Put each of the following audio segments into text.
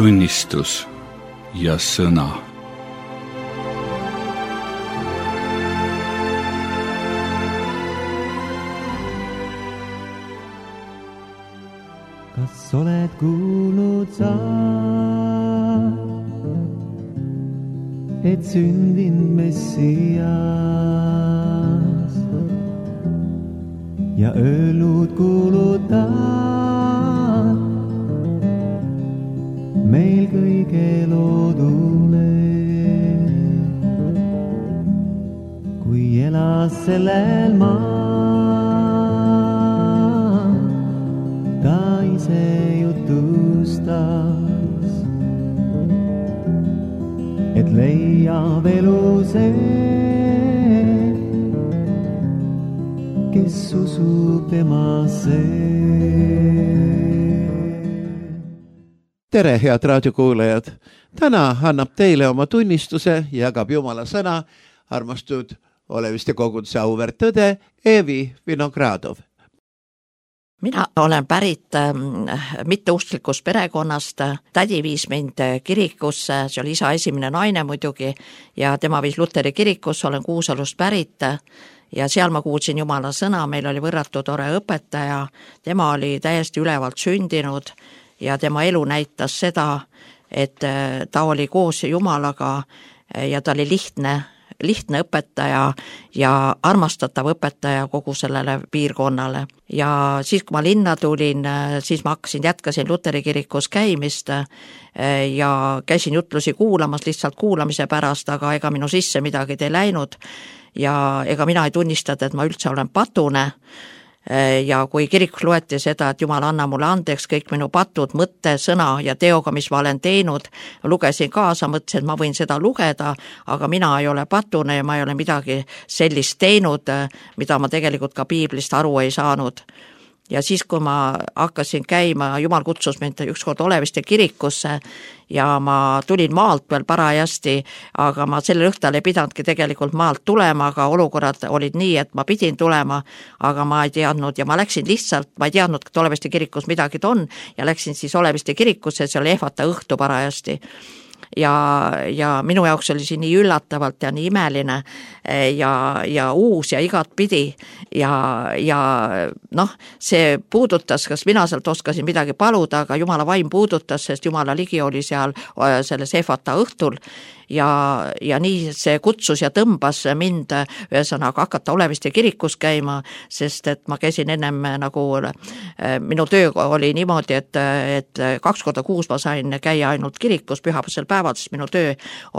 tunnistus ja sõna. Kas oled kuulnud sa, et sündinud Messias ja öelnud kuuluta meil kõige loodule, kui elas sellel maal, ta ise jutustas, et leiab elu see, kes usub temasse. Tere, head raadiokuulajad! Täna annab teile oma tunnistuse ja jagab Jumala sõna armastud oleviste koguduse auväärt tõde Eevi Vinogradov. Mina olen pärit mitteusklikust perekonnast. Tädi viis mind kirikusse, see oli isa esimene naine muidugi, ja tema viis Luteri kirikusse, olen Kuusalust pärit ja seal ma kuulsin Jumala sõna, meil oli võrratu tore õpetaja, tema oli täiesti ülevalt sündinud ja tema elu näitas seda, et ta oli koos Jumalaga ja ta oli lihtne õpetaja ja armastatav õpetaja kogu sellele piirkonnale. Ja siis, kui ma linna tulin, siis ma jätkasin Luteri kirikus käimist ja käisin jutlusi kuulamas lihtsalt kuulamise pärast, aga ega minu sisse midagi ei läinud ja ega mina ei tunnistanud, et ma üldse olen patune. Ja kui kirikus loeti seda, et Jumal anna mulle andeks kõik minu patud mõtte, sõna ja teoga, mis ma olen teinud, lugesin kaasa, mõtlesin, et ma võin seda lugeda, aga mina ei ole patune ja ma ei ole midagi sellist teinud, mida ma tegelikult ka piiblist aru ei saanud. Ja siis, kui ma hakkasin käima, Jumal kutsus mind ükskord Oleviste kirikusse ja ma tulin maalt veel parajasti, aga ma sellel õhtul ei pidanudki tegelikult maalt tulema, aga olukorrad olid nii, et ma pidin tulema, aga ma ei teadnud ja ma läksin lihtsalt, ma ei teadnud, et Oleviste kirikus midagi on ja läksin siis Oleviste kirikusse, see oli ehvata õhtu parajasti. Ja minu jaoks oli see nii üllatavalt ja nii imeline ja uus ja igat pidi ja noh, see puudutas, kas mina sealt oskasin midagi paluda, aga Jumala vaim puudutas, sest Jumala ligi oli seal selles ehvata õhtul ja nii see kutsus ja tõmbas mind ühesõnaga hakata Oleviste kirikus käima, sest et ma käisin ennem nagu, minu töö oli niimoodi, et 2 korda kuus ma sain käia ainult kirikus pühapäevasel päeval, sest minu töö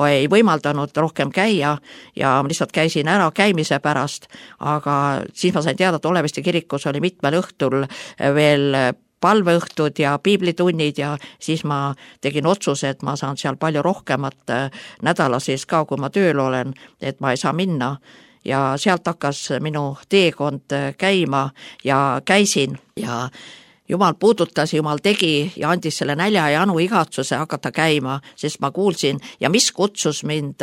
ei võimaldanud rohkem käia ja ma lihtsalt käisin ära käimise pärast, aga siis ma sain teada, et Oleviste kirikus oli mitmel õhtul veel palveõhtud ja piiblitunnid ja siis ma tegin otsuse, et ma saan seal palju rohkemat nädala sees ka, kui ma tööl olen, et ma ei saa minna. Ja sealt hakkas minu teekond käima ja käisin ja Jumal puudutas, Jumal tegi ja andis selle nälja ja anu igatsuse hakata käima, sest ma kuulsin ja mis kutsus mind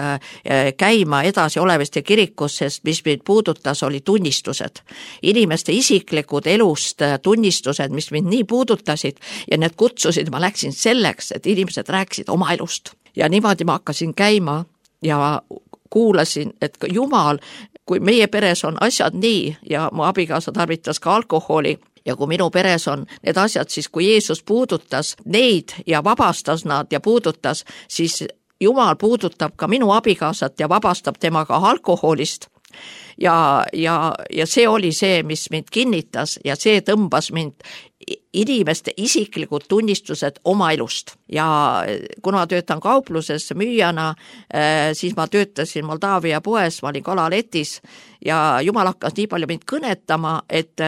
käima edasi Oleviste kirikus, sest mis mind puudutas, oli tunnistused. Inimeste isiklikud elust tunnistused, mis mind nii puudutasid ja need kutsusid, ma läksin selleks, et inimesed rääkisid oma elust. Ja niimoodi ma hakkasin käima ja kuulasin, et Jumal, kui meie peres on asjad nii ja mu abikaasa tarvitas ka alkoholi, ja kui minu peres on need asjad, siis kui Jeesus puudutas neid ja vabastas nad ja puudutas, siis Jumal puudutab ka minu abikaasat ja vabastab temaga alkoholist. Ja see oli see, mis mind kinnitas ja see tõmbas mind inimeste isiklikud tunnistused oma elust. Ja kuna ma töötan kaupluses müüjana, siis ma töötasin Moldaavia poes, ma olin kalaletis ja Jumal hakkas nii palju mind kõnetama, et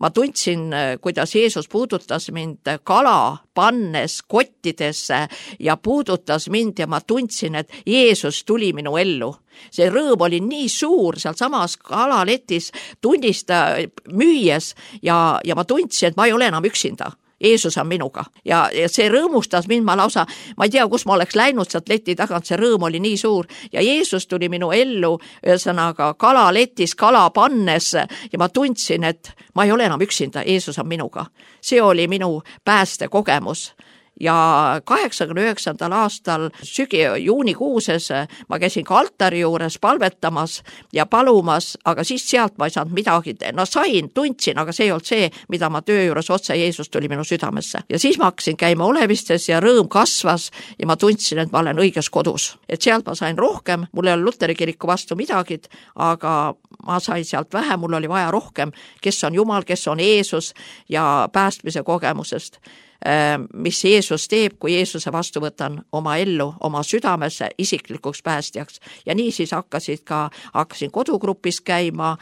ma tundsin, kuidas Jeesus puudutas mind kala pannes kottidesse ja puudutas mind ja ma tundsin, et Jeesus tuli minu ellu. See rõõm oli nii suur seal samas kalaletis tunnista müües ja ma tundsin, et ma ei ole enam üksinda. Jeesus on minuga ja see rõõmustas mind, ma ei tea, kus ma oleks läinud sealt leti tagant, see rõõm oli nii suur ja Jeesus tuli minu ellu ühesõnaga kalaletis, kala pannes ja ma tundsin, et ma ei ole enam üksinda, Jeesus on minuga. See oli minu pääste kogemus ja 89. aastal juunikuuses ma käisin ka altari juures palvetamas ja palumas, aga siis sealt ma ei saanud midagi, no tundsin, aga see ei olnud see, mida ma töö juures otse Jeesus tuli minu südamesse. Ja siis ma hakkasin käima olevistes ja rõõm kasvas ja ma tundsin, et ma olen õiges kodus. Et sealt ma sain rohkem, mul ei ole Luteri kiriku vastu midagi, aga ma sain sealt vähe, mul oli vaja rohkem, kes on Jumal, kes on Jeesus ja päästmise kogemusest, mis Jeesus teeb, kui Jeesuse vastu võtan oma ellu, oma südamesse isiklikuks päästjaks. Ja nii siis hakkasin kodugrupis käima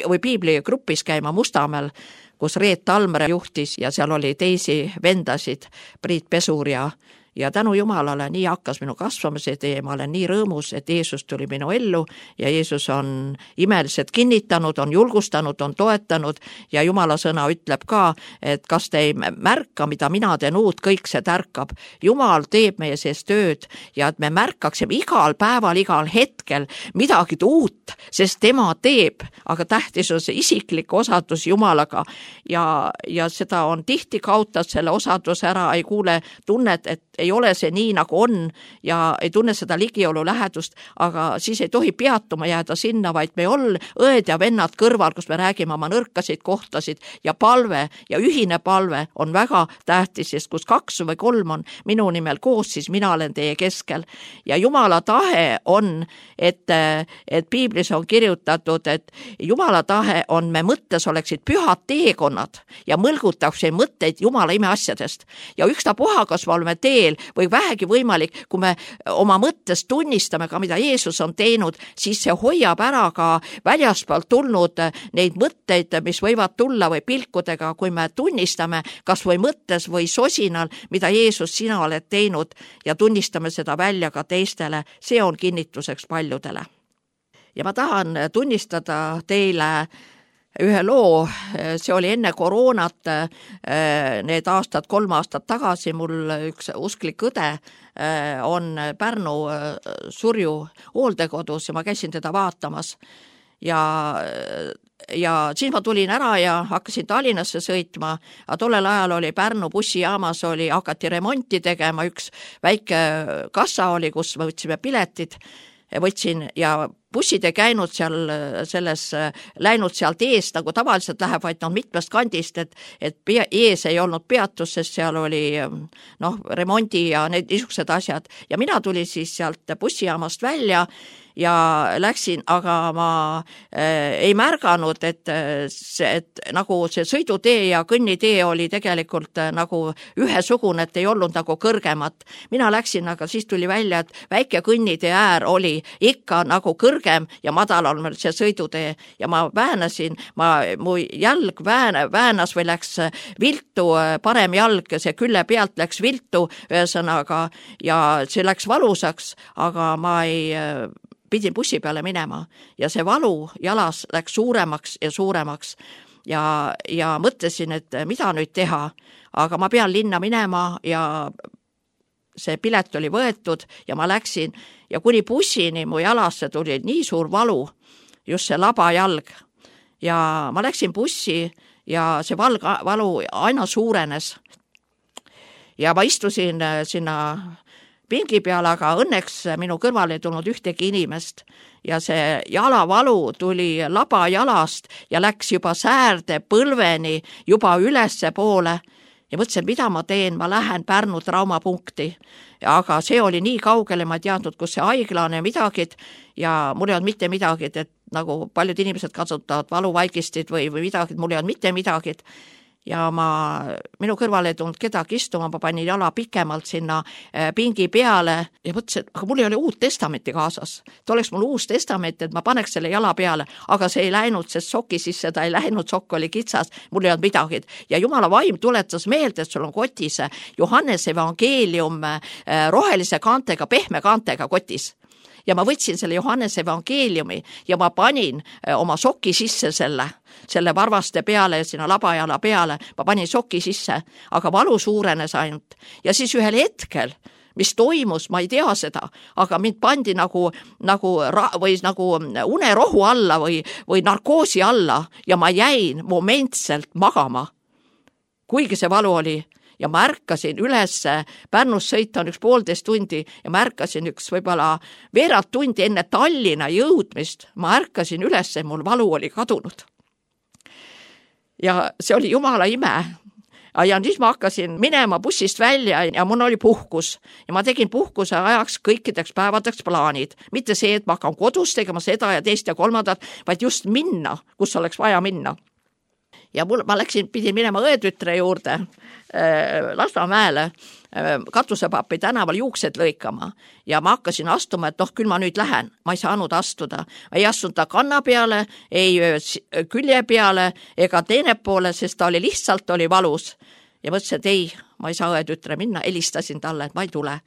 või piibligrupis käima Mustamäel, kus Reet Talmre juhtis ja seal oli teisi vendasid, Priit Pesur ja tänu Jumalale nii hakkas minu kasvamise tee, ma olen nii rõõmus, et Jeesus tuli minu ellu ja Jeesus on imeliselt kinnitanud, on julgustanud, on toetanud ja Jumala sõna ütleb ka, et kas te ei märka, mida mina teen uut, kõik see tärkab. Jumal teeb meie sees tööd ja et me märkaksime igal päeval, igal hetkel midagi uut, sest tema teeb, aga tähtis on see isiklik osadus Jumalaga ja seda on tihti kaotad selle osaduse ära, ei kuule tunnet, et ei ole see nii, nagu on ja ei tunne seda ligiolu lähedust, aga siis ei tohi peatuma jääda sinna, vaid me õed ja vennad kõrval, kus me räägime oma nõrkasid kohtasid ja palve ja ühine palve on väga tähtis, sest kus 2 või 3 on minu nimel koos, siis mina olen teie keskel. Ja Jumala tahe on, et piiblis on kirjutatud, et Jumala tahe on, me mõttes oleksid pühad teekonnad ja mõlgutakse mõtteid Jumala imeasjadest. Ja ükstapuha, kas me oleme teel või vähegi võimalik, kui me oma mõttes tunnistame ka, mida Jeesus on teinud, siis see hoiab ära ka väljaspoolt tulnud neid mõtteid, mis võivad tulla või pilkudega, kui me tunnistame kas või mõttes või sosinal, mida Jeesus sina oled teinud ja tunnistame seda välja ka teistele, see on kinnituseks paljudele. Ja ma tahan tunnistada teile ühe loo, see oli enne koroonat, need 3 aastat tagasi, mul üks usklik õde on Pärnu Surju hooldekodus ja ma käisin teda vaatamas ja siis ma tulin ära ja hakkasin Tallinnasse sõitma, aga tollel ajal oli Pärnu bussijaamas hakati remonti tegema, üks väike kassa oli, kus me võtsime piletid, ja bussid ei käinud seal läinud sealt eest, nagu tavaliselt läheb, vaid mitmest kandist, et ees ei olnud peatus, sest seal oli remondi ja need niisugused asjad. Ja mina tulin siis sealt bussijaamast välja ja läksin, aga ma ei märganud, et nagu see sõidutee ja kõnnitee oli tegelikult nagu ühesugune, et ei olnud nagu kõrgemat. Mina läksin, aga siis tuli välja, et väike kõnnitee äär oli ikka nagu kõrgem ja madalal see sõidutee ja ma väänasin, mu jalg väänas või läks viltu, parem jalg, see külle pealt läks viltu ühesõnaga ja see läks valusaks, aga ma pidin bussi peale minema ja see valu jalas läks suuremaks ja suuremaks ja mõtlesin, et mida nüüd teha, aga ma pean linna minema ja see pilet oli võetud ja ma läksin ja kuni bussini mu jalasse tuli nii suur valu, just see labajalg ja ma läksin bussi ja see valu aina suurenes ja ma istusin sinna pingi peal, aga õnneks minu kõrval ei tulnud ühtegi inimest ja see jalavalu tuli labajalast ja läks juba säärde põlveni juba ülesse poole ja mõtlesin, mida ma teen, ma lähen Pärnu traumapunkti, aga see oli nii kaugele, ma ei teadnud, kus see haigla on ja midagi ja mul ei olnud mitte midagi, et nagu paljud inimesed kasutavad valuvaigistid või midagi, mul ei olnud mitte midagi ja minu kõrval ei tulnud kedagi istuma, ma panin jala pikemalt sinna pingi peale ja mõtlesin, aga mul ei ole Uut Testamenti kaasas. Et oleks mul Uus Testament, et ma paneks selle jala peale, aga see ei läinud, sest soki sisse ta ei läinud, sokk oli kitsas, mul ei olnud midagi. Ja Jumala vaim tuletas meelde, et sul on kotis Johannese evangeelium rohelise kaantega, pehme kaantega kotis. Ja ma võtsin selle Johannese evangeeliumi ja ma panin oma soki sisse selle varvaste peale ja sinna labajala peale, ma panin soki sisse, aga valu suurenes ainult. Ja siis ühel hetkel, mis toimus, ma ei tea seda, aga mind pandi nagu unerohu alla või narkoosi alla ja ma jäin momentselt magama, kuigi see valu oli. ja ma ärkasin üles, Pärnust sõita on 1,5 tundi ja ma ärkasin võib-olla veerand tundi enne Tallinna jõudmist, ma ärkasin üles, mul valu oli kadunud. Ja see oli jumala ime. Ja siis ma hakkasin minema bussist välja ja mul oli puhkus ja ma tegin puhkuse ajaks kõikideks päevadeks plaanid. Mitte see, et ma hakkan kodus tegema seda ja teist ja kolmandat, vaid just minna, kus oleks vaja minna. Ja ma pidin minema õetütre juurde Lasnamäele Katusepapi tänaval juuksed lõikama ja ma hakkasin astuma, et küll ma nüüd lähen. Ma ei saanud astuda. Ei astunud ta kanna peale, ei külje peale ega teine poole, sest ta lihtsalt oli valus. Ja mõtlesin, et ei, ma ei saa õetütre minna. Helistasin talle, et ma ei tule.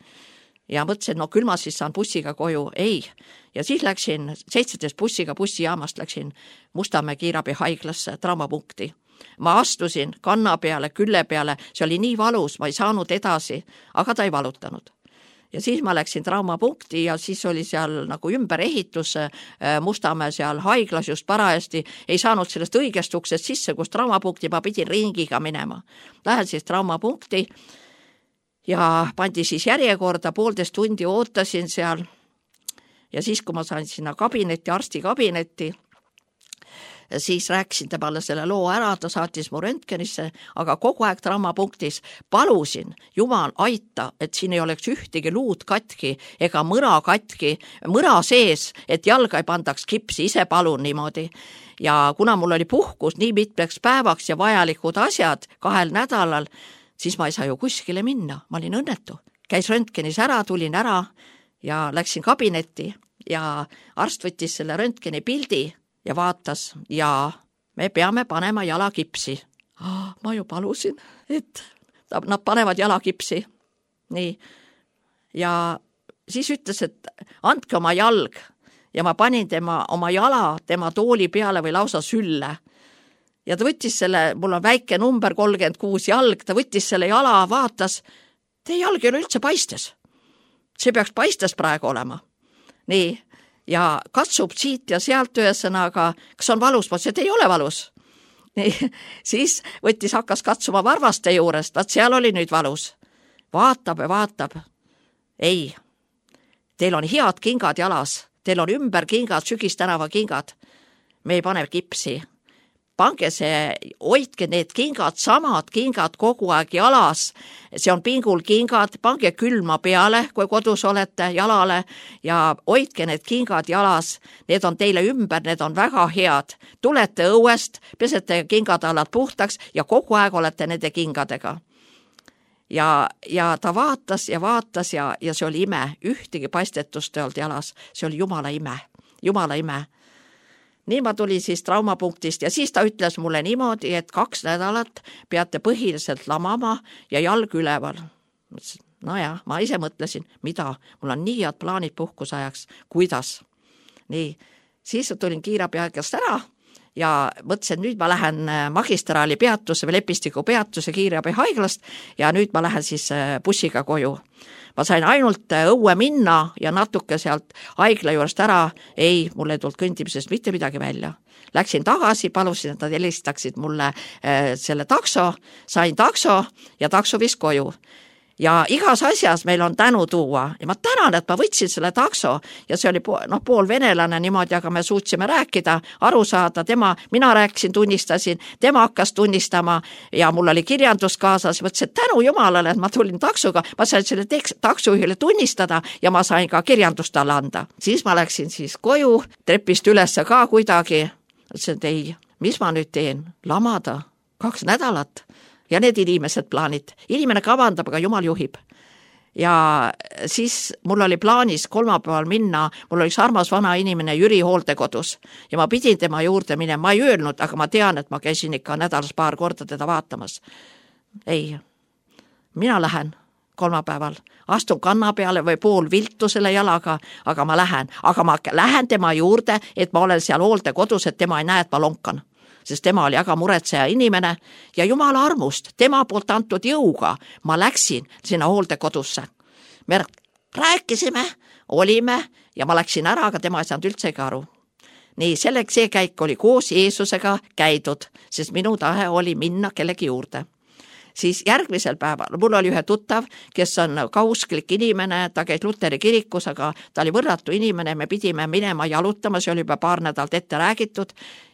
Ja mõtlesin, küll ma siis saan bussiga koju. Ei. Ja siis läksin 17 bussiga bussijaamast läksin Mustamäe kiirabi haiglasse, traumapunkti. Ma astusin kanna peale, külle peale, see oli nii valus, ma ei saanud edasi, aga ta ei valutanud. Ja siis ma läksin traumapunkti ja siis oli seal nagu ümberehitus Mustamäe seal haiglas just parajasti, ei saanud sellest õigest uksest sisse, kus traumapunkti ma pidin ringiga minema. Lähen siis traumapunkti ja pandi siis järjekorda, 1,5 tundi ootasin seal ja siis, kui ma sain sinna kabinetti, arsti kabinetti, siis rääkisin temale selle loo ära, ta saatis mu röntgenisse, aga kogu aeg traumapunktis palusin, Jumal aita, et siin ei oleks ühtegi luud katki ega mõra katki, mõra sees, et jalga ei pandaks kipsi, ise palun niimoodi. Ja kuna mul oli puhkus nii mitmeks päevaks ja vajalikud asjad 2 nädalal, siis ma ei saa ju kuskile minna, ma olin õnnetu. Käis röntgenis ära, tulin ära ja läksin kabinetti ja arst võttis selle röntgeni pildi ja vaatas ja me peame panema jalakipsi. Ma ju palusin, et nad panevad jalakipsi. Nii. Ja siis ütles, et andke oma jalg ja ma panin oma jala tema tooli peale või lausa sülle. Ja ta võttis selle, mul on väike number 36 jalg, ta võttis selle jala, vaatas, teie jalg ei ole üldse paistes. See peaks paistes praegu olema. Nii. Ja katsub siit ja sealt ühesõnaga, kas on valus, ma ütlesin, et ei ole valus. Nii, siis hakkas katsuma varvaste juurest, vaat seal oli nüüd valus. Vaatab ja vaatab. Ei, teil on head kingad jalas, teil on ümber kingad, Sügistänava kingad. Me ei pane kipsi. Pange hoidke need kingad, samad kingad kogu aeg jalas. See on pingul kingad, pange külma peale, kui kodus olete jalale ja hoidke need kingad jalas. Need on teile ümber, need on väga head. Tulete õuest, pesete kingadalad puhtaks ja kogu aeg olete nende kingadega. Ja ta vaatas ja see oli ime. Ühtegi paistetust ei olnud jalas. See oli jumala ime. Jumala ime. Nii ma tulin siis traumapunktist ja siis ta ütles mulle niimoodi, et 2 nädalat peate põhiliselt lamama ja jalg üleval. No ja, ma ise mõtlesin, mida? Mul on nii head plaanid puhkusajaks. Kuidas? Nii, siis tulin kiirabihaigast ära ja mõtlesin, nüüd ma lähen magistraali peatuse või Lepistiku peatuse kiirabihaiglast ja nüüd ma lähen siis bussiga koju. Ma sain ainult õue minna ja natuke sealt haigla juurest ära. Ei, mulle ei tulnud kõndimisest mitte midagi välja. Läksin tagasi, palusin, et nad helistaksid mulle selle takso, sain takso ja takso viis koju. Ja igas asjas meil on tänu tuua ja ma tänan, et ma võtsin selle takso ja see oli pool venelane niimoodi, aga me suutsime rääkida, aru saada, mina rääkisin, tunnistasin, tema hakkas tunnistama ja mul oli kirjandus kaasas, mõtlesin, et tänu Jumalale, et ma tulin taksoga, ma sain selle taksojuhile tunnistada ja ma sain ka kirjandust talle anda. Siis ma läksin siis koju, trepist üles ka kuidagi, mõtlesin, et ei, mis ma nüüd teen, lamada 2 nädalat. Ja need inimesed plaanid. Inimene kavandab, aga Jumal juhib. Ja siis mul oli plaanis kolmapäeval minna, mul oli armas vana inimene Jüri hooldekodus ja ma pidin tema juurde minema, ma ei öelnud, aga ma tean, et ma käisin ikka nädalas 2 korda teda vaatamas. Ei, mina lähen kolmapäeval, astun kanna peale või pool viltu selle jalaga, aga ma lähen tema juurde, et ma olen seal hooldekodus, et tema ei näe, et ma lonkan. Sest tema oli aga muretseja inimene ja Jumala armust, tema poolt antud jõuga ma läksin sinna hooldekodusse. Me rääkisime, olime ja ma läksin ära, aga tema ei saanud üldsegi aru. Nii, see käik oli koos Jeesusega käidud, sest minu tahe oli minna kellegi juurde. siis järgmisel päeval, mul oli ühe tuttav, kes on ka usklik inimene, ta käis Luteri kirikus, aga ta oli võrratu inimene, me pidime minema jalutama, see oli juba paar nädalat ette räägitud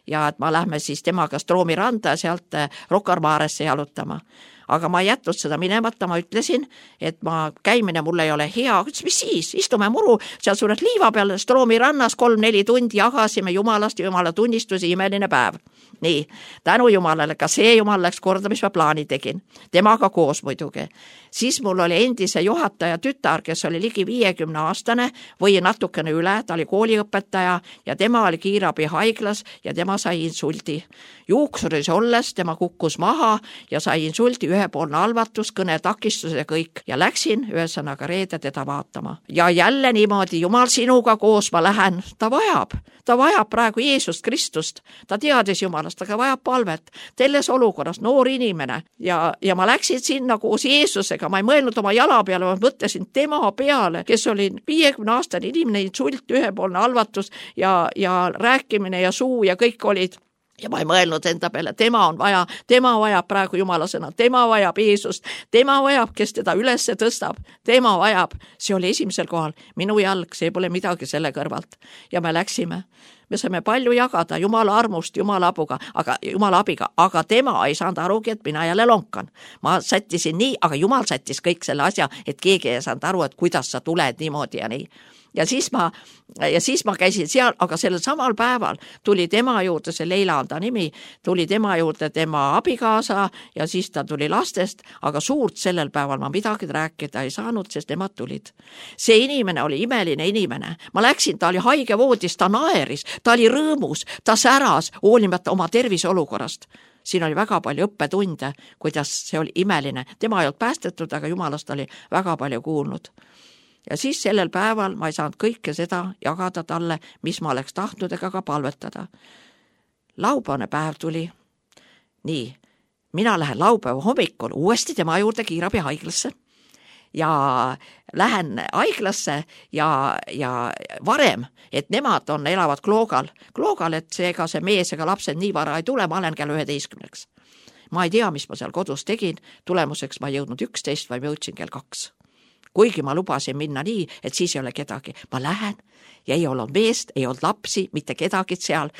ja et ma lähme siis temaga Stroomi randa ja sealt Rocca al Maresse jalutama. Aga ma ei jätnud seda minemata, ma ütlesin, et ma käimine mulle ei ole hea, ütles, mis siis, istume muru seal suures liiva peal Stroomi rannas 3-4 tundi, jagasime jumalast ja jumala tunnistusi, imeline päev. Nii, tänu jumalale, ka see jumal läks korda, mis ma plaani tegin. Temaga koos muidugi. Siis mul oli endise juhataja tütar, kes oli ligi 50-aastane või natukene üle, ta oli kooliõpetaja ja tema oli kiirabi haiglas ja tema sai insuldi. Juuksuris olles tema kukkus maha ja sai insuldi, ühepoolne halvatus, kõnetakistus ja kõik. Ja läksin ühesõnaga reede teda vaatama. Ja jälle niimoodi, jumal sinuga koos ma lähen, ta vajab praegu Jeesust Kristust. Ta teadis jumalast, aga vajab palvet. Telles olukorras noor inimene ja ma läksin sinna koos Jeesusega, ma ei mõelnud oma jala peale, ma mõtlesin tema peale, kes oli 50-aastane inimene, insult, ühepoolne halvatus ja rääkimine ja suu ja kõik olid. Ja ma ei mõelnud enda peale, tema vajab praegu jumala sõna, tema vajab Jeesust, tema vajab, kes teda üles tõstab, tema vajab, see oli esimesel kohal, minu jalg, see pole midagi selle kõrvalt. Ja me läksime, me saime palju jagada jumala armust, jumala abiga, aga tema ei saanud arugi, et mina jälle lonkan. Ma sättisin nii, aga jumal sättis kõik selle asja, et keegi ei saanud aru, et kuidas sa tuled niimoodi ja nii. Ja siis ma käisin seal, aga sellel samal päeval tuli tema juurde, see Leila on ta nimi, tuli tema juurde tema abikaasa ja siis ta tuli lastest, aga suurt sellel päeval ma midagi rääkida ei saanud, sest nemad tulid. See inimene oli imeline inimene. Ma läksin, ta oli haigevoodis, ta naeris, ta oli rõõmus, ta säras, hoolimata oma terviseolukorrast. Siin oli väga palju õppetunde, kuidas see oli imeline. Tema ei olnud päästetud, aga jumalast oli väga palju kuulnud. Ja siis sellel päeval ma ei saanud kõike seda jagada talle, mis ma oleks tahtnud ega ka palvetada. Laupäevane päev tuli. Nii, mina lähen laupäeva hommikul uuesti tema juurde kiirabi haiglasse ja lähen haiglasse ja varem, et nemad elavad Kloogal, et seega see mees ega lapsed nii vara ei tule, ma olen kell 11. Ma ei tea, mis ma seal kodus tegin, tulemuseks ma ei jõudnud 11, vaid ma jõudsin kell 2. Kuigi ma lubasin minna nii, et siis ei ole kedagi. Ma lähen ja ei olnud meest, ei olnud lapsi, mitte kedagi seal.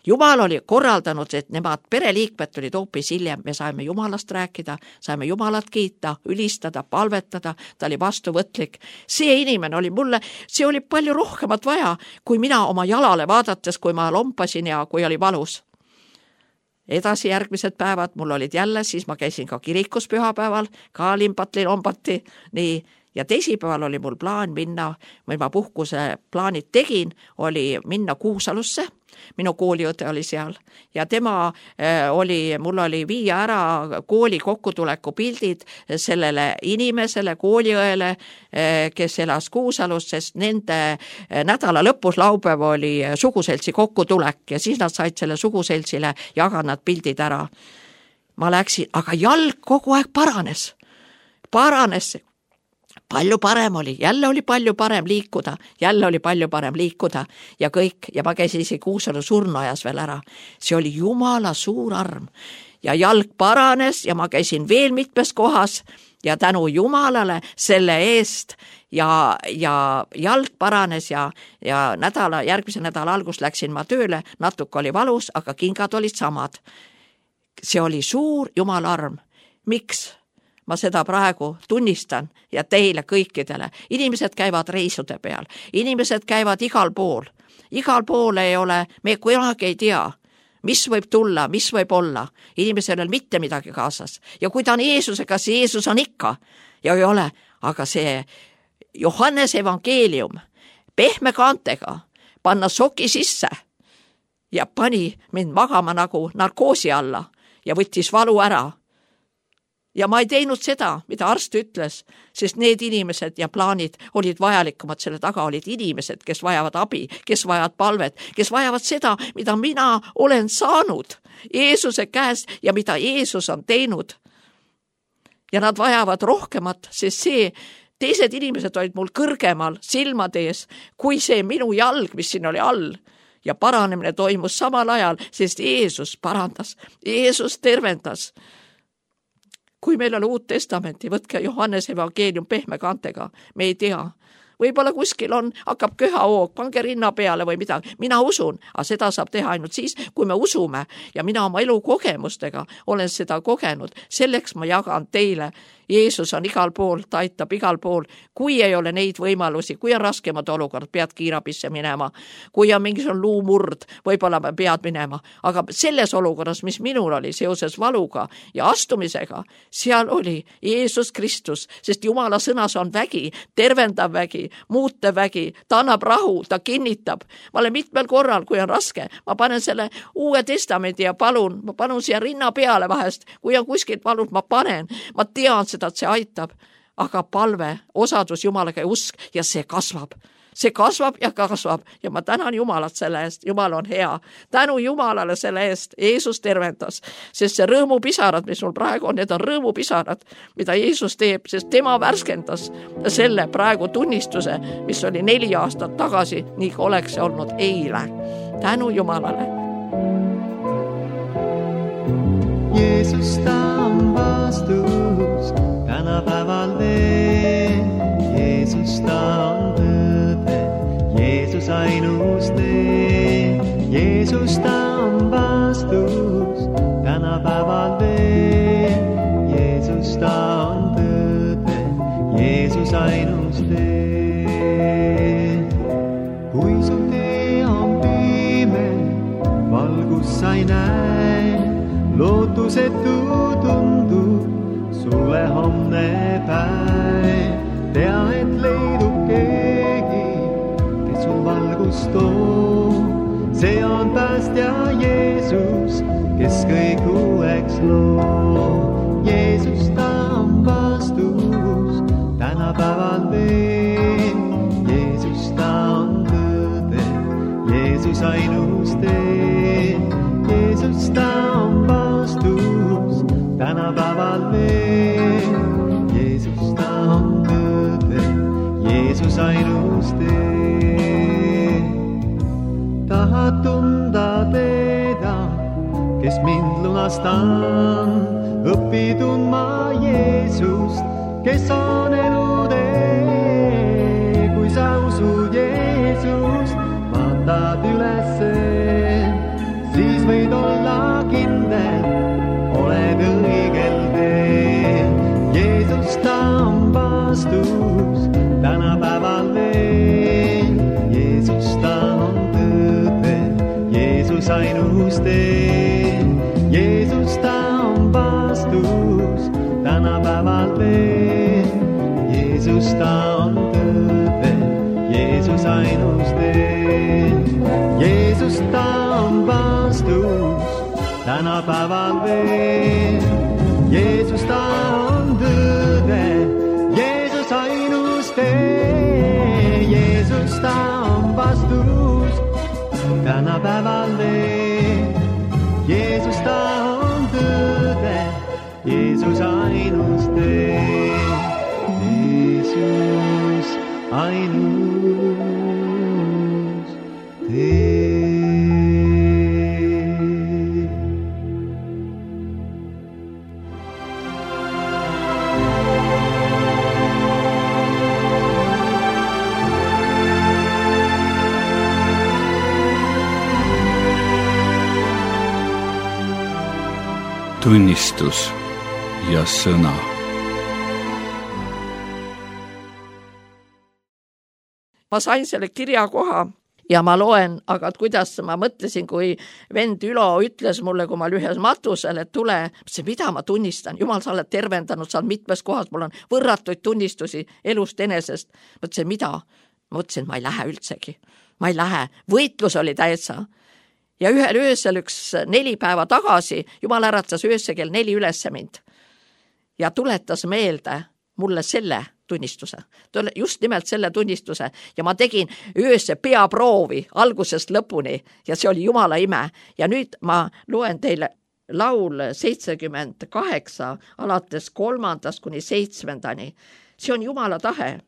Jumal oli korraldanud, et nemad pereliikmed tulid hoopis hiljem. Me saime jumalast rääkida, saime jumalat kiita, ülistada, palvetada, ta oli vastuvõtlik. See inimene oli mulle, see oli palju rohkemat vaja, kui mina oma jalale vaadates, kui ma lompasin ja kui oli valus. Edasi järgmised päevad mul olid jälle, siis ma käisin ka kirikus pühapäeval, ka lompati, nii. Ja teisipäeval oli mul plaan minna, või ma puhkuse plaanid tegin, oli minna Kuusalusse, minu kooliõde oli seal ja mul oli viia ära kooli kokkutuleku pildid sellele inimesele, kooliõele, kes elas Kuusalus, sest nende nädala lõpus laupäev oli suguseltsi kokkutulek ja siis nad said selle suguseltsile jagada nad pildid ära. Ma läksin, aga jalg kogu aeg paranes. Palju parem oli, jälle oli palju parem liikuda ja kõik, ja ma käisin isegi Kuusalu surnuajas veel ära. See oli jumala suur arm ja jalg paranes ja ma käisin veel mitmes kohas ja tänu jumalale selle eest ja jalg paranes ja järgmise nädala algus läksin ma tööle, natuke oli valus, aga kingad olid samad. See oli suur jumala arm. Miks? Ma seda praegu tunnistan ja teile kõikidele. Inimesed käivad reisude peal, inimesed käivad igal pool ei ole, me kunagi ei tea, mis võib tulla, mis võib olla. Inimesel on mitte midagi kaasas ja kui ta on Jeesusega, siis Jeesus on ikka ja ei ole, aga see Johannese evangeelium pehme kaantega panna soki sisse ja pani mind magama nagu narkoosi alla ja võttis valu ära. Ja ma ei teinud seda, mida arst ütles, sest need inimesed ja plaanid olid vajalikumad, selle taga olid inimesed, kes vajavad abi, kes vajavad palvet, kes vajavad seda, mida mina olen saanud Jeesuse käest ja mida Jeesus on teinud. Ja nad vajavad rohkemat, sest teised inimesed olid mul kõrgemal silmade ees, kui see minu jalg, mis siin oli all. Ja paranemine toimus samal ajal, sest Jeesus parandas, Jeesus tervendas. kui meil on Uut Testamenti, võtke Johannese evangeelium pehme kaantega, me ei tea. Võib-olla kuskil hakkab köhahoog, pange rinna peale või midagi. Mina usun, aga seda saab teha ainult siis, kui me usume ja mina oma elukogemustega olen seda kogenud. Selleks ma jagan teile. Jeesus on igal pool, ta aitab igal pool. Kui ei ole neid võimalusi, kui on raskemad olukorrad, pead kiirabisse minema. Kui on mingisugune luumurd, võib-olla pead minema. Aga selles olukorras, mis minul oli seoses valuga ja astumisega, seal oli Jeesus Kristus, sest Jumala sõnas on vägi, tervendav vägi, muutev vägi, ta annab rahu, ta kinnitab. Ma olen mitmel korral, kui on raske, ma panen selle Uue Testamendi ja ma palun siia rinna peale vahest, kui on kuskilt valud, ma panen, ma tean seda, et see aitab, aga palve, osadus Jumalaga ja usk ja see kasvab ja ma tänan Jumalat selle eest, Jumal on hea, tänu Jumalale selle eest, Jeesus tervendas, sest see rõõmupisarad, mis mul praegu on, need on rõõmupisarad, mida Jeesus teeb, sest tema värskendas selle praegu tunnistuse, mis oli 4 aastat tagasi, nii kui oleks see olnud eile. Tänu Jumalale. Jeesus ta on vastus tänapäeval veel. Jeesus ta on tõde, Jeesus ainus tee. Jeesus ta on vastus tänapäeval veel. Jeesus ta on tõde, Jeesus ainus tee. Kui su tee on pime, valgus sa ei näe, lootusetu tundub sulle homne päev. Tea, et leidub keegi, kes sul valgust toob. See on päästja Jeesus, kes kõik uueks loob. Jeesus ta on vastus tänapäeval veel. Jeesus ta on tõde, Jeesus ainus tee. Jeesus ta on vastus tänapäeval veel. Jeesus ta on tõde, Jeesus ainus tee. Tahad tunda teda, kes mind lunastan, õpi tundma Jeesust, kes on elu tee. Kui sa usud Jeesust, vaatad ülesse, siis võid olla kindel, oled õigel teel. Jeesus ta on vastus tänapäeval veel. Jeesus ta on tõde, Jeesus ainus tee. Jeesus ta on vastus tänapäeval veel. Jeesus ta on tõde, Jeesus ainus tee. Jeesus ta on vastus tänapäeval veel. Jeesus ta on tõde, Jeesus ainus tee. Jeesus ta on vastus tänapäeval veel. Jeesus ta on tõde, Jeesus ainus tee. Jeesus ainus tee. Tunnistus ja sõna. Ma sain selle kirjakoha ja ma loen, aga kuidas ma mõtlesin, kui vend Ülo ütles mulle, kui ma olin ühes matusel, et tule, mida ma tunnistan, Jumal, sa oled tervendanud, sa oled mitmes kohas, mul on võrratuid tunnistusi elust enesest. Mõtlesin, mida? Ma mõtlesin, ma ei lähe üldsegi, ma ei lähe, võitlus oli täitsa. Ja ühel öösel 4 päeva tagasi Jumal äratas öösse kell 4 ülesse mind ja tuletas meelde mulle selle tunnistuse, just nimelt selle tunnistuse ja ma tegin öösse peaproovi algusest lõpuni ja see oli Jumala ime ja nüüd ma loen teile laul 78 alates 3. kuni 7. See on Jumala tahe,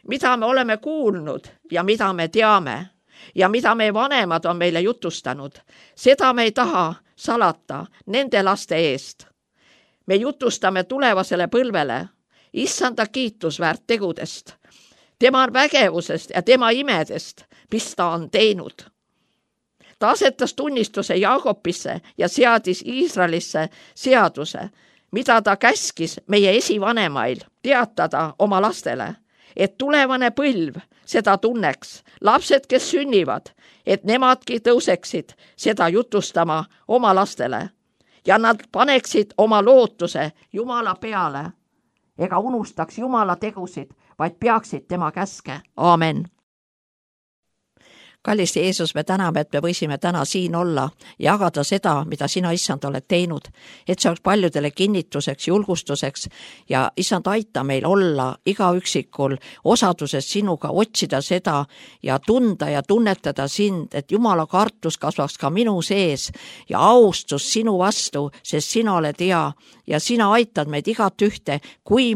mida me oleme kuulnud ja mida me teame ja mida meie vanemad on meile jutustanud, seda me ei taha salata nende laste eest. me jutustame tulevasele põlvele issanda kiitusväärt tegudest, tema vägevusest ja tema imedest, mis ta on teinud. Ta asetas tunnistuse Jaakobisse ja seadis Iisraelisse seaduse, mida ta käskis meie esivanemail teatada oma lastele, et tulevane põlv seda tunneks, lapsed, kes sünnivad, et nemadki tõuseksid seda jutustama oma lastele ja nad paneksid oma lootuse Jumala peale ega unustaks Jumala tegusid, vaid peaksid tema käske. Aamen. Kallis Jeesus, me täname, et me võisime täna siin olla ja jagada seda, mida sina, issand, oled teinud, et see oleks paljudele kinnituseks, julgustuseks ja issand, aita meil olla iga üksikul osaduses sinuga, otsida seda ja tunda ja tunnetada sind, et Jumala kartus kasvaks ka minu sees ja austus sinu vastu, sest sina oled hea ja sina aitad meid igat ühte, kui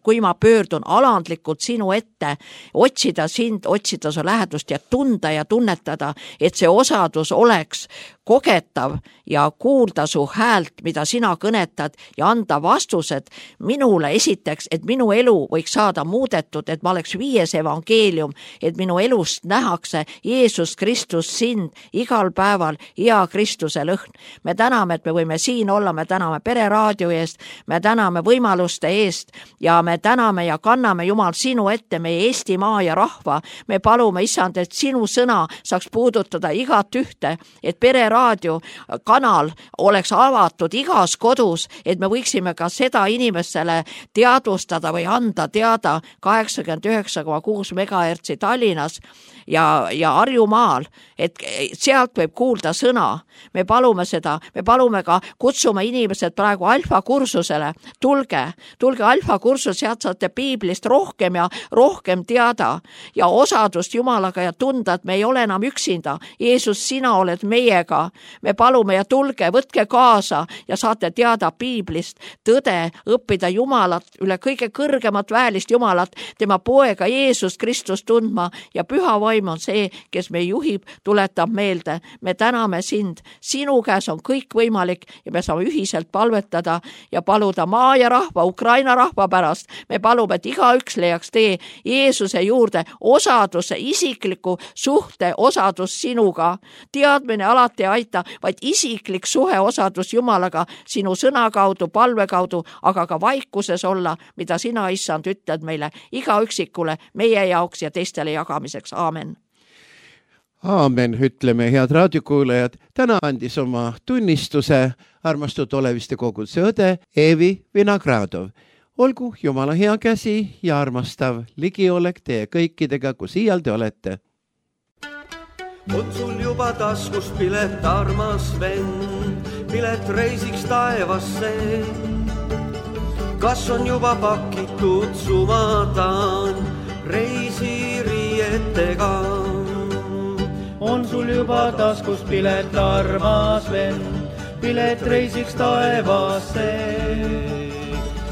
kui ma pöördun alandlikult sinu ette, otsida sind, otsida su lähedust ja tunda ja tunnetada, et see osadus oleks kogetav ja kuulda su häält, mida sina kõnetad ja anda vastused minule esiteks, et minu elu võiks saada muudetud, et ma oleks 5 evangeelium, et minu elust nähakse Jeesus Kristus sind igal päeval hea Kristuse lõhn. Me täname, et me võime siin olla, me täname Pereraadio eest, me täname võimaluste eest ja me täname ja kanname Jumal sinu ette meie Eestimaa ja rahva. Me palume, issand, et sinu sõna saaks puudutada igat ühte, et Pereraadio kanal oleks avatud igas kodus, et me võiksime ka seda inimestele teadvustada või anda teada 89,6 megahertsi Tallinnas ja Harjumaal, et sealt võib kuulda sõna. Me palume seda, me palume ka, kutsume inimesed praegu alfa kursusele. Tulge alfa kursus, sealt saate piiblist rohkem ja rohkem teada ja osadust Jumalaga ja tunda, et me ei ole enam üksinda. Jeesus, sina oled meiega. Me palume ja tulge, võtke kaasa ja saate teada piiblist tõde, õppida Jumalat, üle kõige kõrgemat väelist Jumalat, tema poega Jeesus Kristus tundma ja püha vaim on see, kes me juhib, tuletab meelde. Me täname sind, sinu käes on kõik võimalik ja me saame ühiselt palvetada ja paluda maa ja rahva, Ukraina rahva pärast. Me palume, et igaüks leiaks tee Jeesuse juurde osaduse, isikliku suhte osadus sinuga. Teadmine alati ei aita, vaid isiklik suhe osadus Jumalaga sinu sõna kaudu, palve kaudu, aga ka vaikuses olla, mida sina, issand, ütled meile iga üksikule meie jaoks ja teistele jagamiseks. Aamen. Aamen, ütleme, head raadiokuulajad. Täna andis oma tunnistuse armastatud Oleviste koguduse õde Eevi Vinogradov. Olgu Jumala hea käsi ja armastav ligiolek teie kõikidega, kus iial te olete. On sul juba taskus pilet, armas vend, pilet reisiks taevasse. Kas on juba pakitud sumadan reisiriietega? On sul juba taskus pilet, armas vend, pilet reisiks taevasse.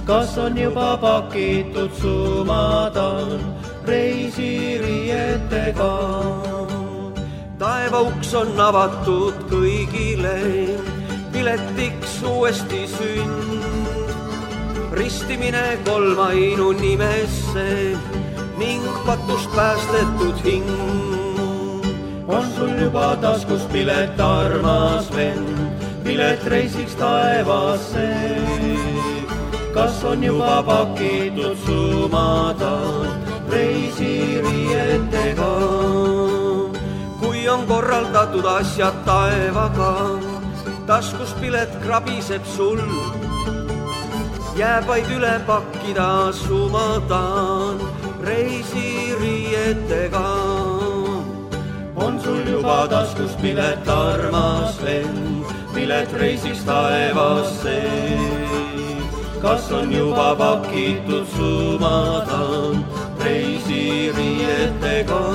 Kas on juba pakitud sumadan reisiriietega? Taeva uks on avatud kõigile, piletiks uuesti sünd. Ristimine kolmainu nimesse ning patust päästetud hing. On sul juba taskus pilet, armas vend, pilet reisiks taevasse. Kas on juba pakitud sumadan reisiriietega? Kui on korraldatud asjad taevaga, taskus pilet krabiseb sul. Jääb vaid üle pakkida sumadan reisiriietega. On sul juba taskus pilet, armas vend, pilet reisiks taevasse. Kas on juba pakitud sumadan reisiriietega?